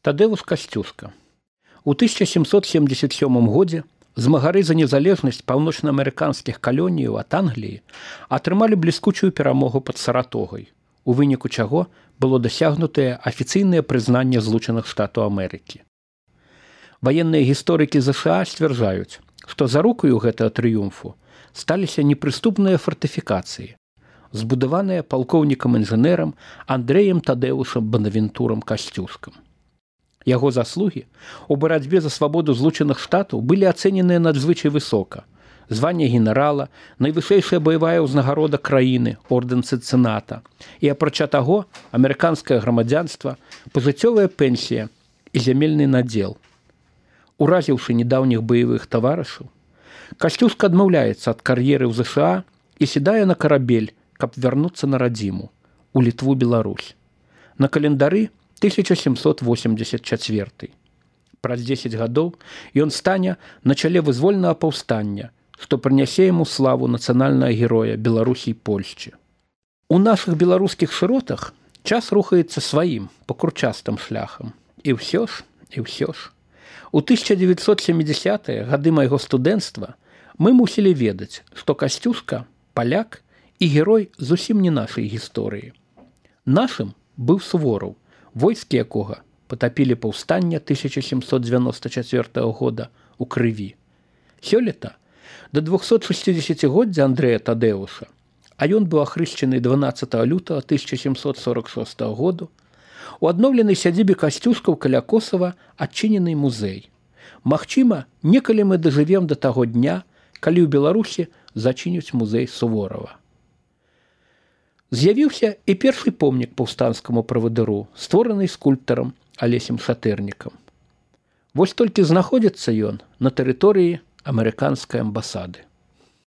Тадэвус Касцюска. У 1777 годзе змагары за незалежнасць паўночнаамерыканскіх калоніяў ад Англіі атрымалі бліскучую перамогу пад Саратогай, у выніку чаго было дасягнутае афіцыйнае прызнанне Злучаных Штатаў Амерыкі. Ваенныя гісторыкі ЗША сцвярджаюць, што зарукаю гэтага трыумфу сталіся непрыступныя фартыфікацыі, збудаваныя палкоўнікам-інжынерам Андрэем Тадэвусам Банавентурам Касцюскам. Яго заслугі ў барацьбе за свабоду Злучаных Штатаў былі ацэненыя надзвычай высока. Званне генерала, найвышэйшая баявая ўзнагарода краіны, ордэн Цынцыната. І апрача таго, амерыканскае грамадзянства, пажыццёвая пенсія і зямельны надзел. Уразіўшы недаўніх баявых таварышаў, Касцюска адмаўляецца ад кар'еры ў ЗША і сідае на карабель, каб вярнуцца на радзіму, у Літву-Беларусь. На календары 1784. Праз 10 гадоў ён стане на чале вызвольнага паўстання, што прынясе яму славу нацыянальнага героя Беларусі і Польшчы. У нашых беларускіх шыротах час рухаецца сваім пакручастым шляхам. І ўсё ж. У 1970-е гады майго студэнцтва мы мусілі ведаць, што Касцюска – паляк і герой зусім не нашай гісторыі. Нашым быў Сувораў, войскі якога патапілі паўстанне 1794 года ў крыві. Сёлета да 260-годдзя Андрэя Тадэвуса, а ён быў ахрышчаны 12 лютага 1746 году, у адноўленай сядзібе Касцюскаў каля Косава адчынены музей. Магчыма, некалі мы дажывем да таго дня, калі ў Беларусі зачыняць музей Суворава. З'явіўся і першы помнік паўстанцкаму правадыру, створаны скульптарам Алесем Шатэрнікам. Вось толькі знаходзіцца ён на тэрыторыі амерыканскай амбасады.